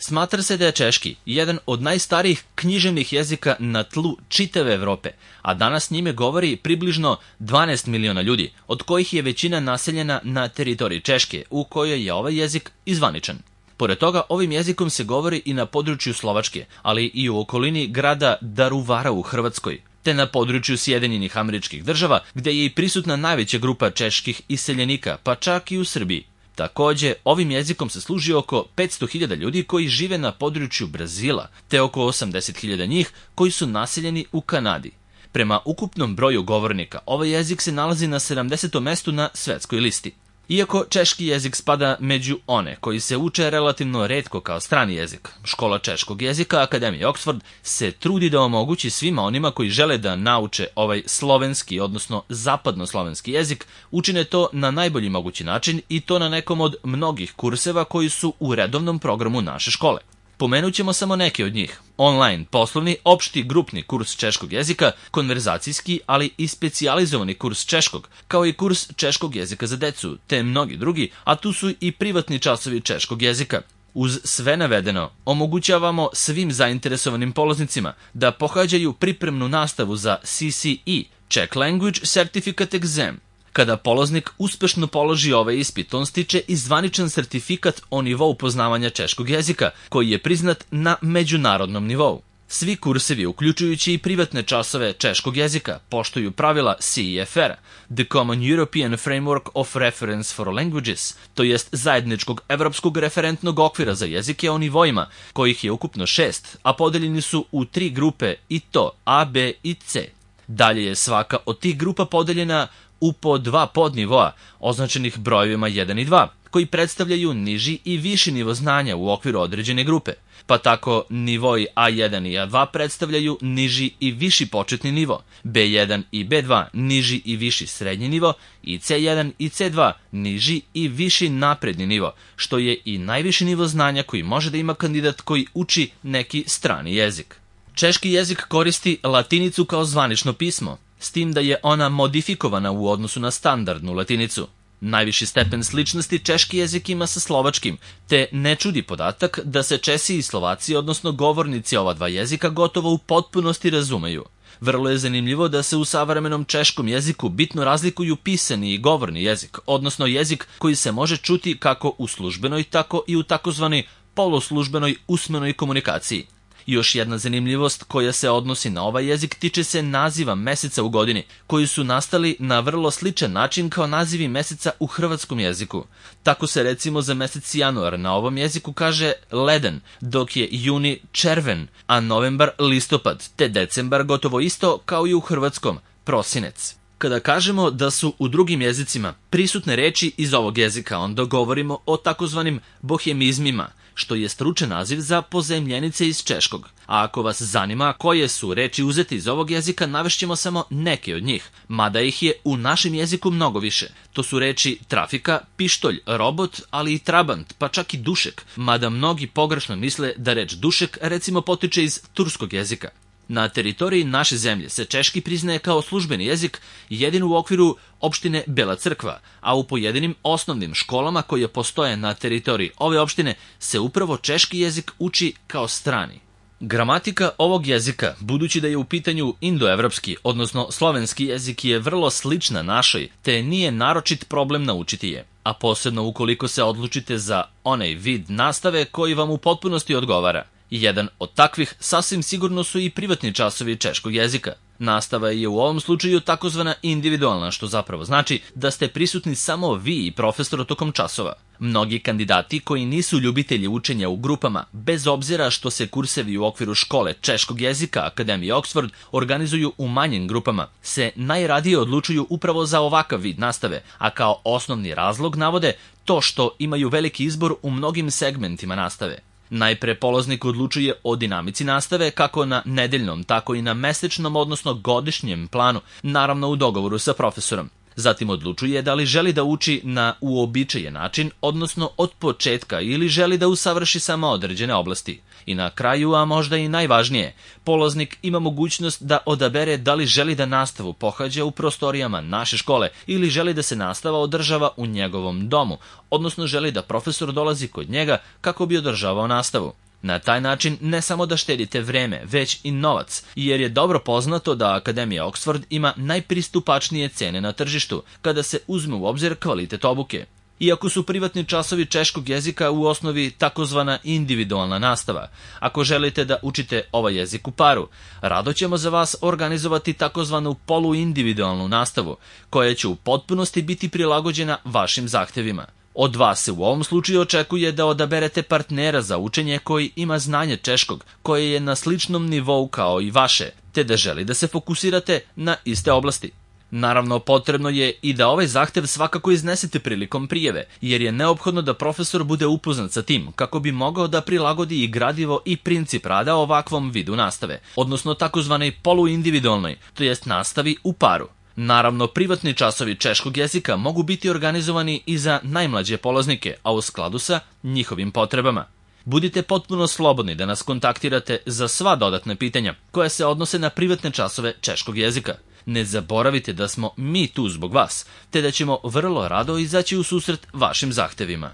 Smatra se da je češki jedan od najstarijih književnih jezika na tlu čitave Evrope, a danas njime govori približno 12 miliona ljudi, od kojih je većina naseljena na teritoriji Češke, u kojoj je ovaj jezik izvaničan. Pored toga, ovim jezikom se govori i na području Slovačke, ali i u okolini grada Daruvara u Hrvatskoj, te na području Sjedinjenih Američkih Država, gde je i prisutna najveća grupa čeških iseljenika, pa čak i u Srbiji. Takođe, ovim jezikom se služi oko 500.000 ljudi koji žive na području Brazila, te oko 80.000 njih koji su naseljeni u Kanadi. Prema ukupnom broju govornika, ovaj jezik se nalazi na 70. mestu na svetskoj listi. Iako češki jezik spada među one koji se uče relativno retko kao strani jezik, škola češkog jezika Akademije Oxford se trudi da omogući svima onima koji žele da nauče ovaj slovenski, odnosno zapadnoslovenski jezik, učine to na najbolji mogući način i to na nekom od mnogih kurseva koji su u redovnom programu naše škole. Pomenut ćemo samo neke od njih. Online, poslovni, opšti grupni kurs češkog jezika, konverzacijski, ali i specijalizovani kurs češkog, kao i kurs češkog jezika za decu, te mnogi drugi, a tu su i privatni časovi češkog jezika. Uz sve navedeno, omogućavamo svim zainteresovanim polaznicima da pohađaju pripremnu nastavu za CCE, Czech Language Certificate Exam. Kada polaznik uspešno položi ovaj ispit, on stiče i zvaničan sertifikat o nivou poznavanja češkog jezika, koji je priznat na međunarodnom nivou. Svi kursevi, uključujući i privatne časove češkog jezika, poštuju pravila CEFR, The Common European Framework of Reference for Languages, to jest zajedničkog evropskog referentnog okvira za jezike o nivoima, kojih je ukupno 6, a podeljeni su u 3 grupe i to A, B i C. Dalje je svaka od tih grupa podeljena u po 2 podnivoa, označenih brojevima 1 i 2, koji predstavljaju niži i viši nivo znanja u okviru određene grupe. Pa tako nivoi A1 i A2 predstavljaju niži i viši početni nivo, B1 i B2 niži i viši srednji nivo i C1 i C2 niži i viši napredni nivo, što je i najviši nivo znanja koji može da ima kandidat koji uči neki strani jezik. Češki jezik koristi latinicu kao zvanično pismo, s tim da je ona modifikovana u odnosu na standardnu latinicu. Najviši stepen sličnosti češki jezik ima sa slovačkim, te ne čudi podatak da se Česi i Slovaci, odnosno govornici ova dva jezika, gotovo u potpunosti razumeju. Vrlo je zanimljivo da se u savremenom češkom jeziku bitno razlikuju pisani i govorni jezik, odnosno jezik koji se može čuti kako u službenoj, tako i u takozvanoj poloslužbenoj usmenoj komunikaciji. Još jedna zanimljivost koja se odnosi na ovaj jezik tiče se naziva meseca u godini, koji su nastali na vrlo sličan način kao nazivi meseca u hrvatskom jeziku. Tako se recimo za mesec januar na ovom jeziku kaže leden, dok je juni červen, a novembar listopad, te decembar gotovo isto kao i u hrvatskom prosinec. Kada kažemo da su u drugim jezicima prisutne reči iz ovog jezika, onda govorimo o takozvanim bohemizmima, što je stručan naziv za pozajemljenice iz češkog. A ako vas zanima koje su reči uzete iz ovog jezika, navešćemo samo neke od njih, mada ih je u našem jeziku mnogo više. To su reči trafika, pištolj, robot, ali i trabant, pa čak i dušek, mada mnogi pogrešno misle da reč dušek recimo potiče iz turskog jezika. Na teritoriji naše zemlje se češki priznaje kao službeni jezik jedino u okviru opštine Bela Crkva, a u pojedinim osnovnim školama koje postoje na teritoriji ove opštine se upravo češki jezik uči kao strani. Gramatika ovog jezika, budući da je u pitanju indoevropski, odnosno slovenski jezik, je vrlo slična našoj, te nije naročit problem naučiti je, a posebno ukoliko se odlučite za onaj vid nastave koji vam u potpunosti odgovara. Jedan od takvih sasvim sigurno su i privatni časovi češkog jezika. Nastava je u ovom slučaju takozvana individualna, što zapravo znači da ste prisutni samo vi i profesor tokom časova. Mnogi kandidati koji nisu ljubitelji učenja u grupama, bez obzira što se kursevi u okviru škole češkog jezika Akademije Oxford organizuju u manjim grupama, se najradije odlučuju upravo za ovakav vid nastave, a kao osnovni razlog navode to što imaju veliki izbor u mnogim segmentima nastave. Najpre polaznik odlučuje o dinamici nastave kako na nedeljnom, tako i na mesečnom, odnosno godišnjem planu, naravno u dogovoru sa profesorom. Zatim odlučuje da li želi da uči na uobičajen način, odnosno od početka, ili želi da usavrši samo određene oblasti. I na kraju, a možda i najvažnije, polaznik ima mogućnost da odabere da li želi da nastavu pohađa u prostorijama naše škole ili želi da se nastava održava u njegovom domu, odnosno želi da profesor dolazi kod njega kako bi održavao nastavu. Na taj način ne samo da štedite vreme, već i novac, jer je dobro poznato da Akademija Oxford ima najpristupačnije cene na tržištu, kada se uzme u obzir kvalitet obuke. Iako su privatni časovi češkog jezika u osnovi takozvana individualna nastava, ako želite da učite ovaj jezik u paru, rado ćemo za vas organizovati takozvanu poluindividualnu nastavu, koja će u potpunosti biti prilagođena vašim zahtevima. Od vas se u ovom slučaju očekuje da odaberete partnera za učenje koji ima znanje češkog, koje je na sličnom nivou kao i vaše, te da želi da se fokusirate na iste oblasti. Naravno, potrebno je i da ovaj zahtev svakako iznesete prilikom prijave, jer je neophodno da profesor bude upoznat sa tim kako bi mogao da prilagodi i gradivo i princip rada ovakvom vidu nastave, odnosno takozvanoj poluindividualnoj, to jest nastavi u paru. Naravno, privatni časovi češkog jezika mogu biti organizovani i za najmlađe polaznike, a u skladu sa njihovim potrebama. Budite potpuno slobodni da nas kontaktirate za sva dodatna pitanja koja se odnose na privatne časove češkog jezika. Ne zaboravite da smo mi tu zbog vas, te da ćemo vrlo rado izaći u susret vašim zahtevima.